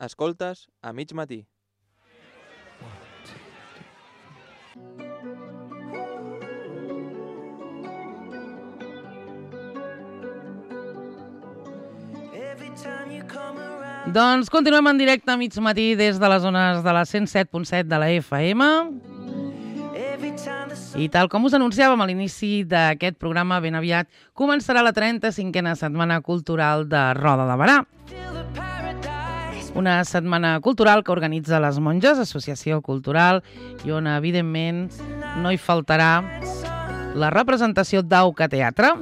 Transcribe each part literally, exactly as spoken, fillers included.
Escoltes a mig matí. Doncs continuem en directe a mig matí des de les zones de la cent set punt set de la F M. I tal com us anunciàvem a l'inici d'aquest programa, ben aviat començarà la trenta-cinquena Setmana Cultural de Roda de Berà. Una setmana cultural que organitza les Monges, associació cultural, i on, evidentment, no hi faltarà la representació d'Auca Teatre.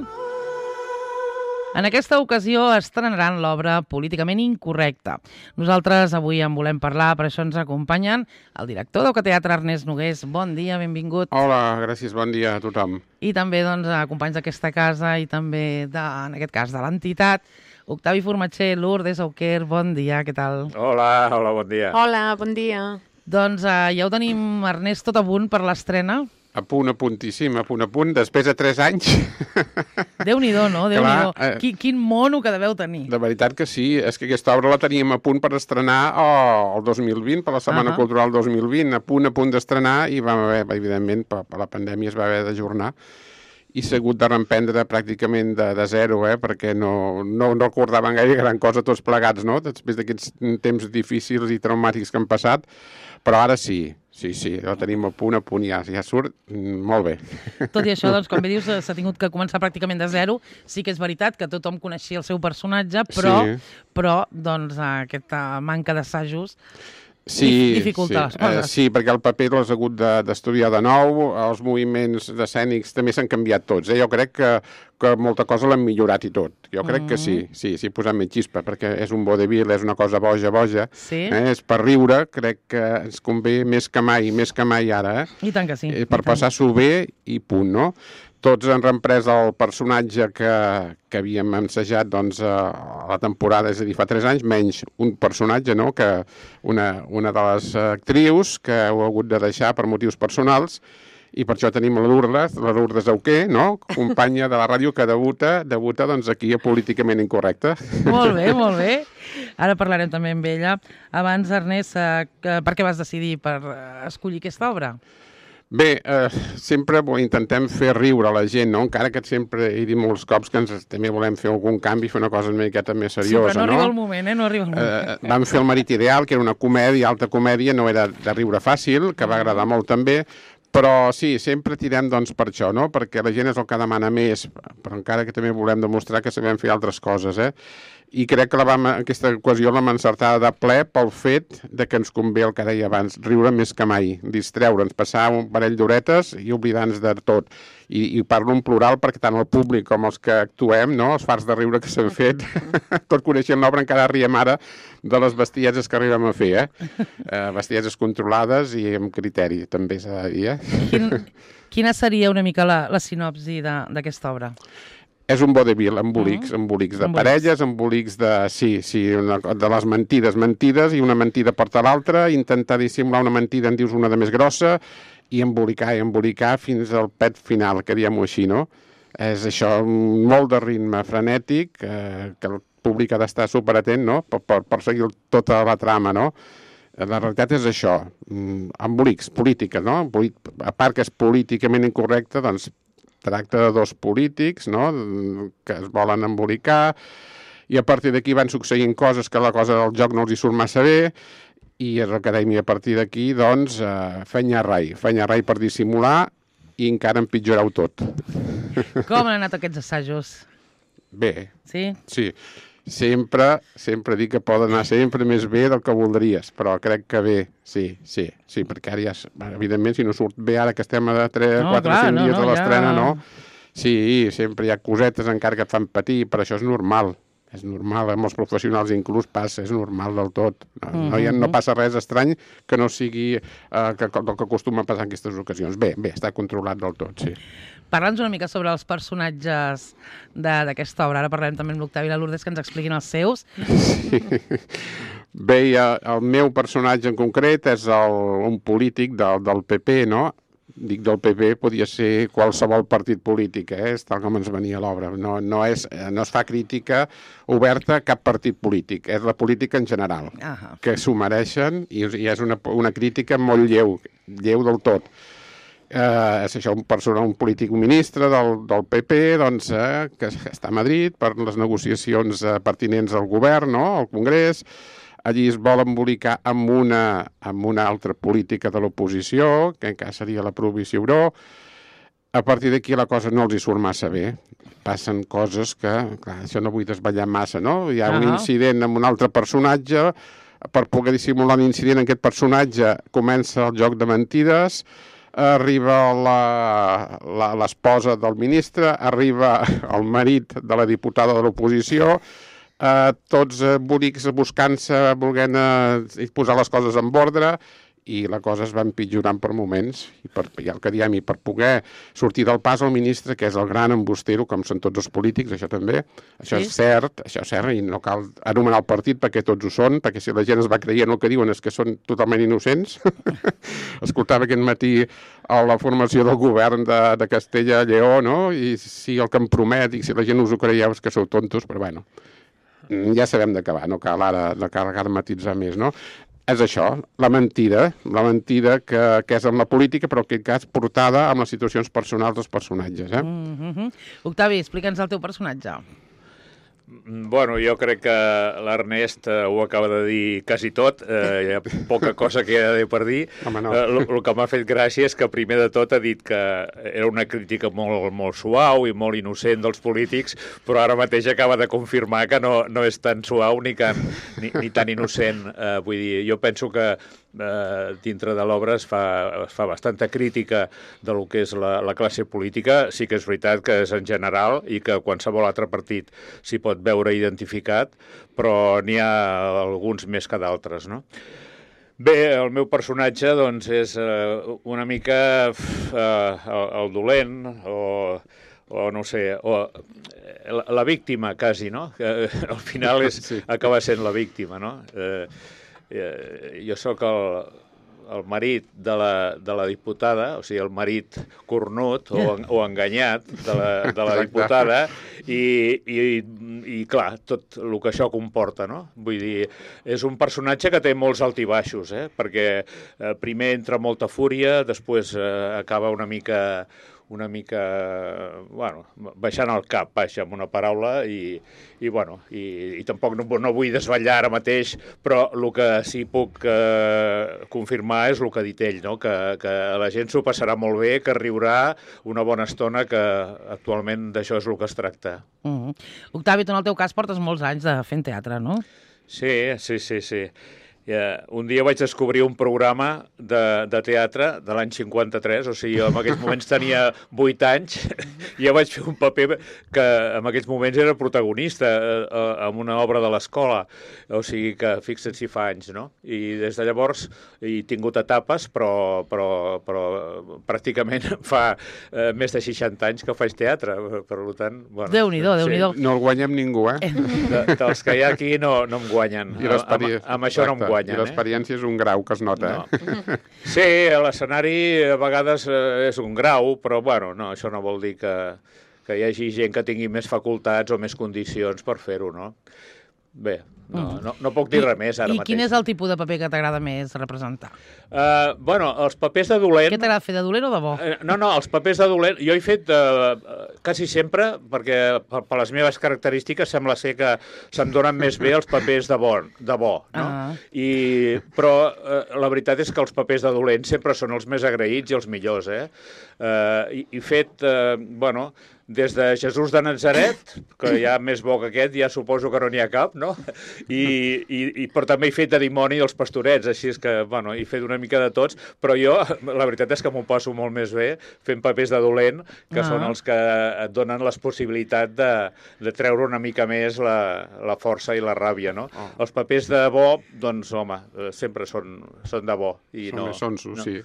En aquesta ocasió estrenaran l'obra Políticament Incorrecte. Nosaltres avui en volem parlar, per això ens acompanyen el director d'Auca Teatre, Ernest Nogués. Bon dia, benvingut. Hola, gràcies, bon dia a tothom. I també doncs, companys d'aquesta casa i també, de, en aquest cas, de l'entitat, Octavi Formatxer, Lourdes Auquer, bon dia, què tal? Hola, hola, bon dia. Hola, bon dia. Doncs eh, ja ho tenim, Ernest, tot a punt per l'estrena. A punt, a puntíssim, a punt, a punt, després de tres anys. Déu-n'hi-do, no? Déu-n'hi-do. Clar, eh, Quin, quin mono que deveu tenir. De veritat que sí, és que aquesta obra la teníem a punt per estrenar oh, el dos mil vint, per la Setmana Uh-huh. Cultural dos mil vint, a punt, a punt d'estrenar, i vam haver, evidentment, per, per la pandèmia es va haver d'ajornar, i s'ha hagut de reemprendre pràcticament de, de zero, eh, perquè no, no, no recordaven gaire gran cosa tots plegats, no?, després d'aquests temps difícils i traumàtics que han passat, però ara sí, sí, sí, la tenim a punt, a punt, ja, ja surt mm, molt bé. Tot i això, doncs, com bé dius, s'ha tingut que començar pràcticament de zero. Sí que és veritat que tothom coneixia el seu personatge, però, Sí. però doncs, aquesta manca d'assajos Sí, dificulta sí. les coses. Eh, sí, perquè el paper l'has hagut de- d'estudiar de nou, els moviments escènics també s'han canviat tots. Eh? Jo crec que, que molta cosa l'han millorat i tot. Jo crec Mm. que sí, sí, sí, posant més xispa, perquè és un vodevil, és una cosa boja, boja. Sí. Eh? És per riure, crec que ens convé més que mai, més que mai ara, eh? I tant que sí. Eh, i per tant. passar-s'ho bé i punt, no? Tots han reemprès el personatge que, que havíem ensajat doncs, a la temporada, és a dir, fa tres anys, menys un personatge, no?, que una, una de les actrius que ho ha hagut de deixar per motius personals, i per això tenim la Lourdes, la Lourdes Auquer, no?, companya de la ràdio que debuta, debuta doncs, aquí a Políticament Incorrecte. Molt bé, molt bé. Ara parlarem també amb ella. Abans, Ernest, eh, que- per què vas decidir per eh, escollir aquesta obra? Bé, eh, sempre bo, intentem fer riure a la gent, no? Encara que sempre he dit molts cops que ens també volem fer algun canvi, fer una cosa una miqueta més seriosa, sí, però no, no? arriba el moment, eh? No arriba el moment. Eh, vam fer El marit ideal, que era una comèdia, alta comèdia, no era de riure fàcil, que va agradar molt també, però sí, sempre tirem doncs per això, no? Perquè la gent és el que demana més, però encara que també volem demostrar que sabem fer altres coses, eh? I crec que la vam, aquesta ocasió l'hem encertada de ple pel fet de que ens convé el que deia abans, riure més que mai, distreure'ns, passar un parell d'horetes i oblidar-nos de tot. I, I parlo en plural perquè tant el públic com els que actuem, no?, els farts de riure que s'han fet, tot coneixent l'obra encara riem ara de les bestieses que arribem a fer, eh? eh bestieses controlades i amb criteri, també s'ha de dir, eh? Quin, quina seria una mica la, la sinopsi de- d'aquesta obra? És un vodevil, embolics, embolics de Embolics. parelles, embolics de... Sí, sí, una, de les mentides, mentides, i una mentida porta l'altra, intentar dissimular una mentida en dius una de més grossa, i embolicar, i embolicar fins al pet final, que diem-ho així, no? És això, molt de ritme frenètic, eh, que el públic ha d'estar superatent, no?, per, per, per seguir tota la trama, no? La realitat és això, mm, embolics, política, no? Embolic, a part que és políticament incorrecte, doncs tracta de dos polítics, no?, que es volen embolicar, i a partir d'aquí van succeint coses que la cosa del joc no els hi surt massa bé, i és el que dèiem, i a partir d'aquí, doncs, eh, fenya rai, fenya rai per dissimular, i encara empitjorar-ho tot. Com han anat aquests assajos? Bé, Sí? sí, sempre, sempre dic que poden anar sempre més bé del que voldries, però crec que bé, sí, sí, sí, perquè ara ja, és- evidentment, si no surt bé ara que estem a tres, No, quatre, clar, cinc no, dies no, de l'estrena, ja- no? Sí, sempre hi ha cosetes encara que et fan patir, però això és normal, és normal, amb els professionals inclús passa, és normal del tot. No, no, hi ha, no passa res estrany que no sigui eh, que, que, que acostuma a passar en aquestes ocasions. Bé, bé, està controlat del tot, sí. Parla'ns una mica sobre els personatges de- d'aquesta obra. Ara parlarem també amb l'Octavi i la Lourdes que ens expliquin els seus. Bé, eh, el meu personatge en concret és el, un polític del, del P P, no?, dic del P P, podia ser qualsevol partit polític, eh? És tal com ens venia a l'obra. No, no, és, no es fa crítica oberta a cap partit polític, és la política en general, Ahà. que s'ho mereixen i, i és una, una crítica molt lleu, lleu del tot. Eh, és això, un persona, un polític ministre del, del P P, doncs, eh, que està a Madrid per les negociacions eh, pertinents al govern, no?, al Congrés. Allí es vol embolicar amb una, amb una altra política de l'oposició, que encara seria la prohibició euro. A partir d'aquí la cosa no els hi surt massa bé. Passen coses que, clar, això no vull desvetllar massa, no? Hi ha uh-huh. un incident amb un altre personatge, per poder dissimular l'incident en aquest personatge comença el joc de mentides, arriba l'esposa del ministre, arriba el marit de la diputada de l'oposició, eh, tots eh, bonics buscant-se, volent eh, posar les coses en ordre, i la cosa es va empitjorant per moments, i, per, i el que diem, i per poder sortir del pas el ministre, que és el gran embustero, com són tots els polítics, això també, això sí. és cert, això és cert, i no cal anomenar el partit perquè tots ho són, perquè si la gent es va creient el que diuen és que són totalment innocents. Escoltava aquest matí a la formació del govern de, de Castella i Lleó, no? I si el que em promet, i si la gent us ho creieu és que sou tontos, però bueno, ja sabem d'acabar, no cal ara, no cal ara matitzar més, no? És això, la mentida, la mentida que, que és en la política, però en aquest cas portada amb les situacions personals dels personatges. Eh? Mm-hmm. Octavi, explica'ns el teu personatge. Bueno, jo crec que l'Ernest eh, ho acaba de dir quasi tot, eh, hi ha poca cosa que hi ha de per dir. Home, no. eh, el que m'ha fet gràcia és que primer de tot ha dit que era una crítica molt, molt suau i molt innocent dels polítics, però ara mateix acaba de confirmar que no, no és tan suau ni, can, ni, ni tan innocent. Eh, vull dir, jo penso que eh, dintre de l'obra es, fa, es fa bastanta crítica de lo que és la, la classe política. Sí que és veritat que és en general i que qualsevol altre partit s'hi pot veure identificat, però n'hi ha alguns més que d'altres, no? Bé, el meu personatge, doncs, és eh, una mica eh, el, el dolent, o, o no sé, o la, la víctima, quasi, no? Que al final és, sí. acaba sent la víctima, no? Eh, eh, jo sóc el... el marit de la, de la diputada, o sigui, el marit cornut o, o enganyat de la, de la diputada, i, i, i clar, tot el que això comporta, no? Vull dir, és un personatge que té molts altibaixos, eh? Perquè eh, primer entra molta fúria, després eh, acaba una mica... una mica, bueno, baixant el cap, baixa amb una paraula, i, i bueno, i, i tampoc no, no vull desvetllar ara mateix, però el que sí puc eh, confirmar és el que ha dit ell, no? que, que la gent s'ho passarà molt bé, que riurà una bona estona, que actualment d'això és el que es tracta. Mm-hmm. Octavi, tu en el teu cas portes molts anys de fent teatre, no? Sí, sí, sí, sí. Yeah. Un dia vaig descobrir un programa de, de teatre de l'any cinquanta-tres, o sigui, jo en aquells moments tenia vuit anys, i ja vaig fer un paper que en aquells moments era protagonista eh, en una obra de l'escola, o sigui que fixa't si fa anys, no? I des de llavors he tingut etapes, però, però, però pràcticament fa eh, més de seixanta anys que faig teatre, per tant... Bueno, Déu-n'hi-do, Déu-n'hi-do. Sí. No el guanyem ningú, eh? De, dels que hi ha aquí no, no em guanyen. Amb, amb això no em guanyen. I l'experiència és un grau que es nota, no. eh? Sí, l'escenari a vegades eh, és un grau, però bueno, no, això no vol dir que, que hi hagi gent que tingui més facultats o més condicions per fer-ho, no? Bé, no, no, no puc dir I, res més ara i mateix. I quin és el tipus de paper que t'agrada més representar? Uh, bueno, els papers de dolent... Què t'agrada fer, de dolent o de bo? Uh, no, no, els papers de dolent... Jo he fet uh, quasi sempre, perquè per, per les meves característiques sembla ser que se'm donen més bé els papers de bo, de bo no? Ah. I, però uh, la veritat és que els papers de dolent sempre són els més agraïts i els millors, eh? Uh, i, i fet, uh, bueno... des de Jesús de Nazaret, que ja més bo que aquest, ja suposo que no n'hi ha cap, no? I, i, i, però també he fet de dimoni dels pastorets, així és que, bueno, he fet una mica de tots, però jo, la veritat és que m'ho passo molt més bé fent papers de dolent, que ah. són els que et donen la possibilitat de, de treure una mica més la, la força i la ràbia, no? Oh. Els papers de bo, doncs, home, sempre són, són de bo. I són no, més sonsos, no. sí.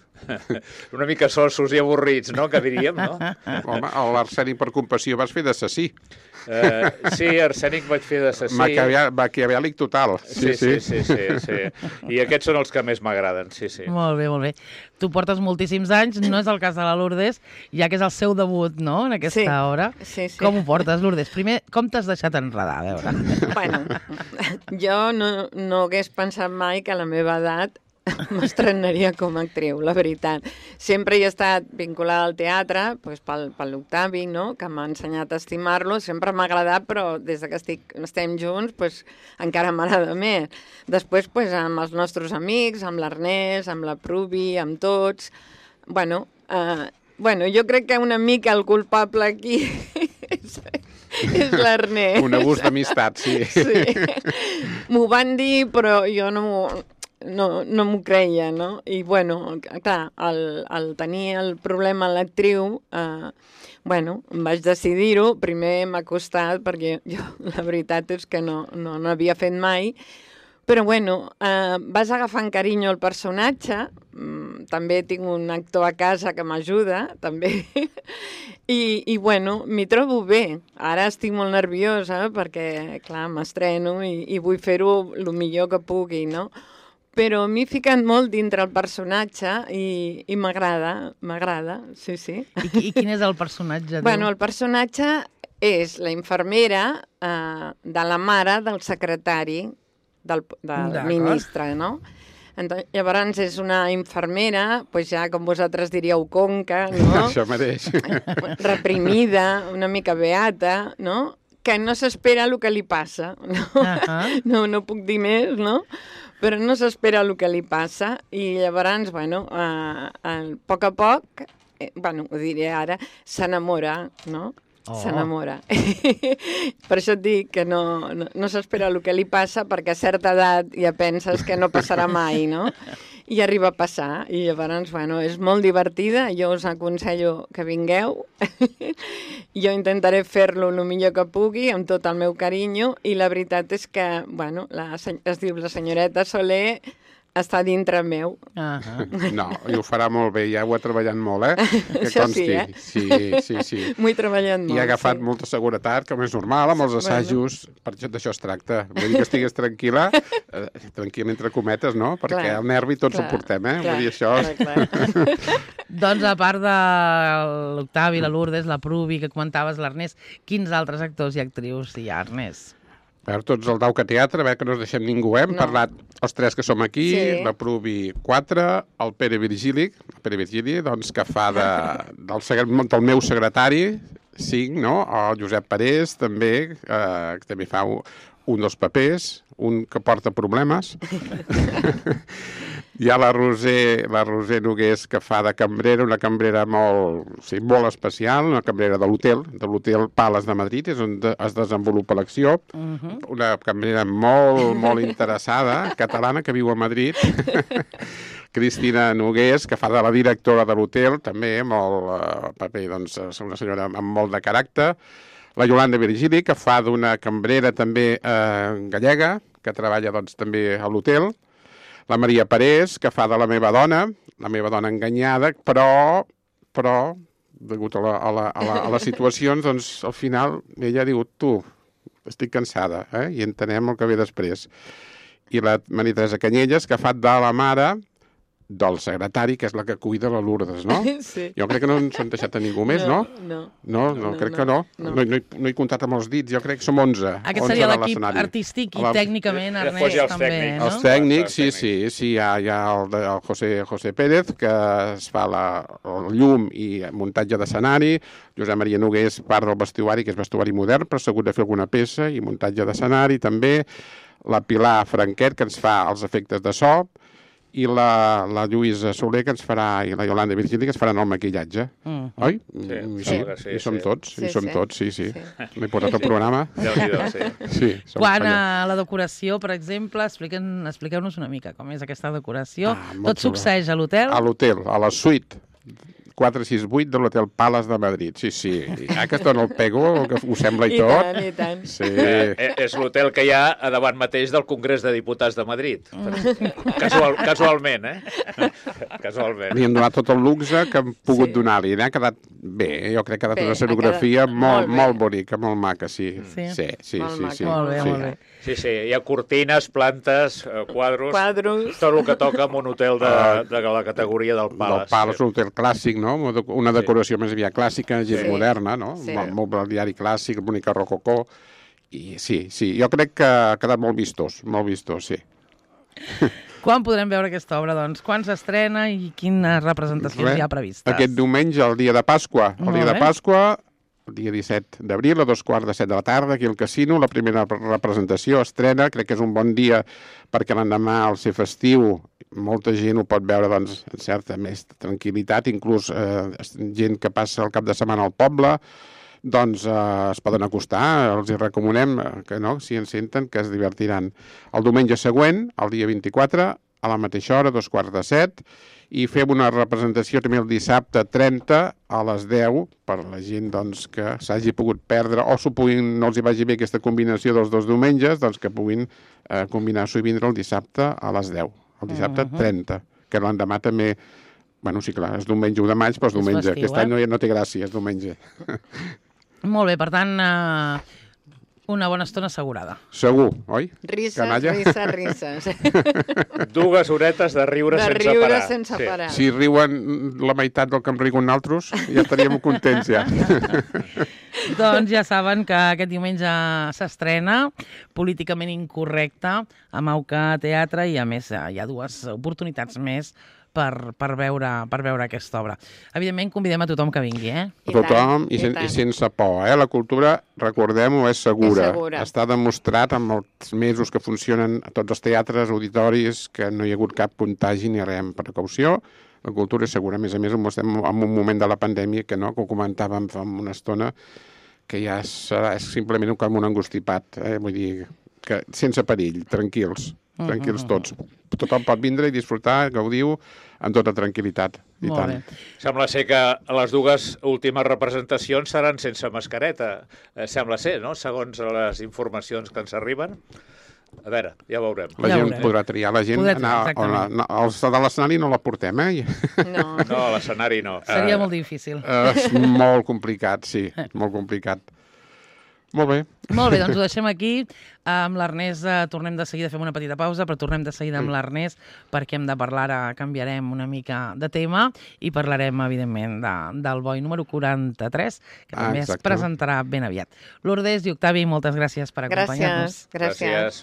Una mica sonsos i avorrits, no?, que diríem, no? Home, l'Arseni per per compassió vas fer d'assassí. Uh, sí, Arsènic vaig fer d'assassí. Maquiavèlic total. Sí sí sí, sí, sí, sí. I aquests són els que més m'agraden, sí, sí. Molt bé, molt bé. Tu portes moltíssims anys, no és el cas de la Lourdes, ja que és el seu debut, no?, en aquesta sí. obra. Sí, sí. Com ho portes, Lourdes? Primer, com t'has deixat enredar, a veure? Bueno, jo no, no hagués pensat mai que a la meva edat m'estrenaria com a actriu, la veritat. Sempre he estat vinculada al teatre, doncs pel, per l'Octavi, no?, que m'ha ensenyat a estimar-lo. Sempre m'ha agradat, però des que estic, estem junts doncs, encara m'agrada més. Després, doncs, amb els nostres amics, amb l'Ernest, amb la Pruvi, amb tots... Bueno, eh, bueno, jo crec que una mica el culpable aquí és, és l'Ernest. Un abús d'amistat, sí. Sí. M'ho van dir, però jo no m'ho... no, no m'ho creia, no? I, bueno, clar, el, el tenir el problema a l'actriu, eh, bueno, em vaig decidir-ho. Primer m'ha costat, perquè jo, la veritat és que no, no, no havia fet mai, però, bueno, eh, vas agafant carinyo al personatge. Mm, també tinc un actor a casa que m'ajuda, també, i, i, bueno, m'hi trobo bé. Ara estic molt nerviosa perquè, clar, m'estreno i, i vull fer-ho el millor que pugui, no? Però m'he ficat molt dintre el personatge i, i m'agrada, m'agrada, sí, sí. I, I quin és el personatge? Bueno, el personatge és la infermera eh, de la mare del secretari del, del ministre, no? Entonces, llavors és una infermera, pues ja com vosaltres diríeu conca, no? Això mateix. Reprimida, una mica beata, no? Que no s'espera el que li passa, no? Uh-huh. No, no puc dir més, no? Però no s'espera el que li passa i llavors, bueno, a, a poc a poc, eh, bueno, ho diré ara, s'enamora, no? Oh. S'enamora. Per això et dic que no, no, no s'espera el que li passa, perquè a certa edat ja penses que no passarà mai, no? I arriba a passar, i llavors, bueno, és molt divertida, jo us aconsello que vingueu, jo intentaré fer-lo el millor que pugui, amb tot el meu carinyo, i la veritat és que, bueno, la, es diu la senyoreta Soler, està dintre meu. Uh-huh. No, i ho farà molt bé, ja ho ha treballat molt, eh? Que Això consti. sí, eh? Sí, sí, sí. M'ho he treballat molt, I ha agafat sí. molta seguretat, com és normal, amb els assajos. Bueno. Per això d'això es tracta. Vull dir que estigues tranquil·la, eh, tranquil·la entre cometes, no? Perquè clar, el nervi tots clar, ho portem, eh? Clar, Vull dir això... clar, clar. Doncs a part de l'Octavi, la Lourdes, la Pruvi, que comentaves, l'Ernest, quins altres actors i actrius hi ha, Ernest? Per tots el Dauca Teatre, a veure que no ens deixem ningú, eh? Hem no. parlat els tres que som aquí, sí. la Pruvi quatre, el Pere Virgili, el Pere Virgili, doncs, que fa de, del, del meu secretari, cinc, no? El Josep Parés, també, eh, que també fa un, un dels papers, un que porta problemes. Hi ha la Roser, la Roser Nogués, que fa de cambrera, una cambrera molt, sí, molt especial, una cambrera de l'hotel, de l'hotel Pales de Madrid, és on de, es desenvolupa l'acció. Uh-huh. Una cambrera molt, molt interessada, catalana, que viu a Madrid. Cristina Nogués, que fa de la directora de l'hotel, també, molt eh, paper, doncs, és una senyora amb molt de caràcter. La Yolanda Virgili, que fa d'una cambrera també eh, gallega, que treballa, doncs, també a l'hotel. La Maria Parés, que fa de la meva dona, la meva dona enganyada, però, però, degut a, la, a, la, a, la, a les situacions, doncs, al final, ella diu, tu, estic cansada, eh? I entenem el que ve després. I la Maria Teresa Canyelles, que fa de la mare del secretari, que és la que cuida la Lourdes, no? Sí. Jo crec que no ens han deixat a ningú més, no? No. No, no, no crec no, que no. No. No, no, he, no he comptat amb els dits, jo crec que som onze. Aquest seria l'equip artístic i la... tècnicament, Ernest, ja també, tècnics. no? Els tècnics, sí, sí, sí, hi ha, hi ha el, el José, José Pérez, que es fa la, el llum i muntatge d'escenari, Josep Maria Nogués, part del vestuari, que és vestuari modern, però s'ha hagut de fer alguna peça, i muntatge d'escenari també, la Pilar Franquet, que ens fa els efectes de so, i la, la Lluïsa Soler, que ens farà, i la Yolanda Virgili, que ens faran el maquillatge. Mm. Oi? Sí, I, sí, sí, sí, i som sí. tots, Sí, i som sí. tots, sí, sí. Sí. M'he portat el programa. Déu-n'hi-do, sí. Sí, som Quan allà. a la decoració, per exemple, expliquen, expliqueu-nos una mica com és aquesta decoració. Ah, molt Tot xulo. succeeix a l'hotel? A l'hotel, a la suite. quatre sis vuit de l'Hotel Palace de Madrid. Sí, sí, ja que es dona el pego, que ho sembla i, I tot. tant, i tant. Sí. Eh, és l'hotel que hi ha a davant mateix del Congrés de Diputats de Madrid. Casual, casualment, eh? Casualment. Li hem donat tot el luxe que hem pogut Sí. donar-li. Ha quedat bé, jo crec que ha quedat Bé, una ha escenografia quedat molt, molt bé. molt bonica, molt maca, sí. Sí? Sí, sí, Molt sí. maca. sí. Molt bé, sí. molt bé. Sí, sí, hi ha cortines, plantes, eh, quadros, Quadros. tot el que toca en un hotel de, de la categoria del Del Palace. Palace, un hotel clàssic, no? Una decoració més aviat clàssica, gens Sí. moderna, no? Sí. Molt mobiliari clàssic, bonica rococó. I sí, sí, jo crec que ha quedat molt vistós, molt vistós, sí. Quan podrem veure aquesta obra, doncs? Quan s'estrena i quines representacions Res, hi ha previstes? Aquest diumenge, el dia de Pasqua. El Molt dia de bé. Pasqua, el dia disset d'abril, a dos quarts de set de la tarda, aquí al Casino, la primera representació estrena. Crec que és un bon dia perquè l'endemà, al ser festiu, molta gent ho pot veure doncs, en certa més tranquil·litat, inclús eh, gent que passa el cap de setmana al poble, doncs eh, es poden acostar, els hi recomanem eh, que no, si ens senten, que es divertiran. El diumenge següent, el dia vint-i-quatre, a la mateixa hora, dos quarts de set, i fem una representació també el dissabte trenta a les deu, per la gent doncs, que s'hagi pogut perdre o s'ho puguin, no els hi vagi bé aquesta combinació dels dos diumenges, doncs que puguin eh, combinar-s'ho i vindre el dissabte a les deu, el dissabte Mhm. trenta, que l'endemà també, bueno, sí, clar, és diumenge u de maig, però és És diumenge. festiu, Aquest eh? any no, no té gràcia, és diumenge. Molt bé, per tant, eh, una bona estona assegurada. Segur, oi? Risses, Canalla? risses, risses. Dues horetes de riure De sense riure parar. sense Sí. parar. Si riuen la meitat del que em riuen altres, ja estaríem contents, ja. Doncs ja saben que aquest diumenge s'estrena Políticament Incorrecte amb Auca Teatre i, a més, hi ha dues oportunitats més per, per, veure, per veure aquesta obra. Evidentment, convidem a tothom que vingui, eh? I Tothom tant, i, i sen tant. i sense por, eh? La cultura, recordem-ho, és segura. És segura. Està demostrat amb els mesos que funcionen a tots els teatres, auditoris, que no hi ha hagut cap contagi ni res amb precaució. La cultura és segura. A més a més, estem en un moment de la pandèmia que no, que ho comentàvem fa una estona, que ja serà simplement com un angustipat, eh? Vull dir, que sense perill, tranquils, tranquils tots. Tothom pot vindre i disfrutar, gaudiu, amb tota tranquil·litat. I Molt tant. bé. Sembla ser que les dues últimes representacions seran sense mascareta. Eh, sembla ser, no?, segons les informacions que ens arriben. A veure, ja veurem. La Ja gent veurem. podrà triar, la gent Podrà triar, anar... exactament. On, no, els de l'escenari no la portem, eh? No. No, a l'escenari no. Seria Eh, molt difícil. Eh, és molt complicat, sí, molt complicat. Molt bé. Molt bé, doncs ho deixem aquí. Amb l'Ernest eh, tornem de seguida, fem una petita pausa, però tornem de seguida amb l'Ernest perquè hem de parlar, ara canviarem una mica de tema i parlarem, evidentment, de, del boi número quaranta-tres, que Ah, també es exacte. presentarà ben aviat. Lourdes i Octavi, moltes gràcies per acompanyar-nos. Gràcies, gràcies. Gràcies.